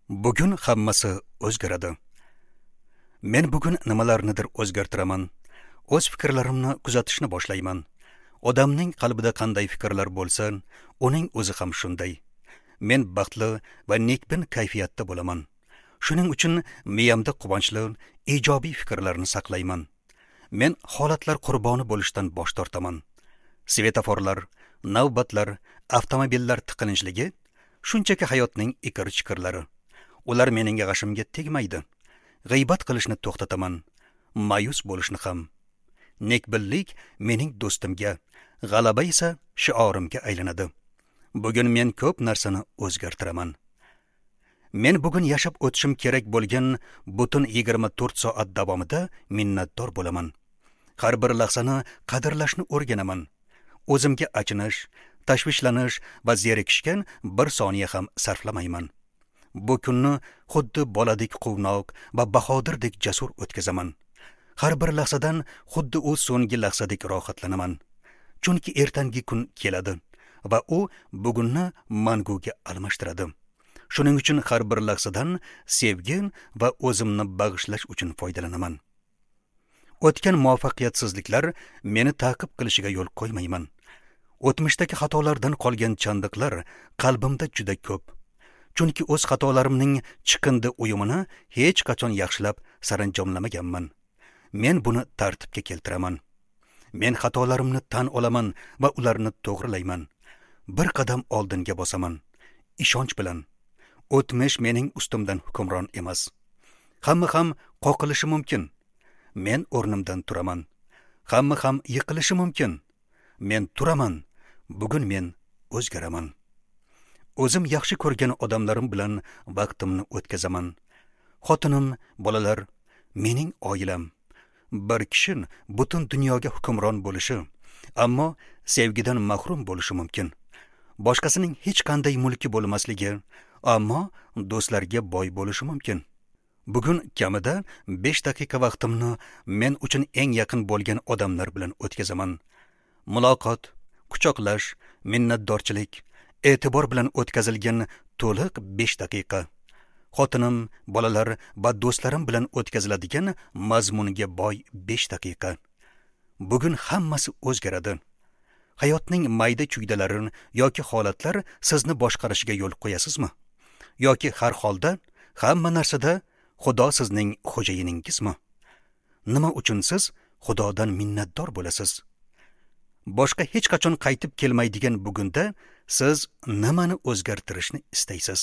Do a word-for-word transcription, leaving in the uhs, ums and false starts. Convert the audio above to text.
Bugun hammasi o'zgaradi. Men bugun nimalarnidir o'zgartiraman. O'z fikrlarimni kuzatishni boshlayman. Odamning qalbida qanday fikrlar bo'lsa, uning o'zi ham shunday. Men baxtli va nekbin kayfiyatda bo'laman. Shuning uchun miyamda quvonchli, ijobiy fikrlarni saqlayman. Men holatlar qurboni bo'lishdan bosh tortaman. Svetoforlar, navbatlar, avtomobillar tiqilinchligi shunchaki hayotning ikir-chikirlari. Ular mening g'ashimga tegmaydi. G'iybat qilishni to'xtataman, ma'yus bo'lishni ham. Nekbinlik mening do'stimga, g'alaba esa shiorimga aylanadi. Bugun men ko'p narsani o'zgartiraman. Men bugun yashab o'tishim kerak bo'lgan butun yigirma to'rt soat davomida minnatdor bo'laman. Har bir lahzani qadrlashni o'rganaman. O'zimga achinish, tashvishlanish va zerikishga bir soniya ham sarflamayman. Bu kunni xuddi boladek quvnoq va bahodirdek jasur o'tkazaman. Har bir lahzadan xuddi u so'nggi lahzadek rohatlanaman. Chunki ertangi kun keladi va u bugunni manguga almashtiradi. Shuning uchun har bir lahzadan sevgi va o'zimni bag'ishlash uchun foydalanaman. O'tgan muvaffaqiyatsizliklar meni ta'qib qilishiga yo'l qo'ymayman. O'tmishdagi xatolardan qolgan chandiqlar qalbimda juda ko'p. Chunki o'z xatolarimning chiqindi uyumini hech qachon yaxshilab saranjomlamaganman. Men buni tartibga keltiraman. Men xatolarimni tan olaman va ularni to'g'rilayman. Bir qadam oldinga bosaman, ishonch bilan. O'tmish mening ustimdan hukmron emas. Hamma ham qoqilishi mumkin. Men o'rnimdan turaman. Hamma ham yiqilishi mumkin. Men turaman. Bugun men o'zgaraman. O'zim yaxshi ko'rgan odamlarim bilan vaqtimni o'tkazaman. Xotinim, bolalar, mening oilam. Bir kishi butun dunyoga hukmron bo'lishi, ammo sevgidan mahrum bo'lishi mumkin. Boshqasining hech qanday mulki bo'lmasligi, ammo do'stlarga boy bo'lishi mumkin. Bugun kamida besh daqiqa vaqtimni men uchun eng yaqin bo'lgan odamlar bilan o'tkazaman. Muloqot, quchoqlash, minnatdorchilik, e'tibor bilan o'tkazilgan to'liq besh daqiqa. Xotinim, bolalar va do'stlarim bilan o'tkaziladigan mazmunga boy besh daqiqa. Bugun hammasi o'zgaradi. Hayotning mayda chuydalari yoki holatlar sizni boshqarishiga yo'l qo'yasizmi? Yoki har holda hamma narsada Xudo sizning xo'jayiningizmi? Nima uchun siz Xudodan minnatdor bo'lasiz? Boshqa hech qachon qaytib kelmaydigan bugunda siz nimani o'zgartirishni istaysiz?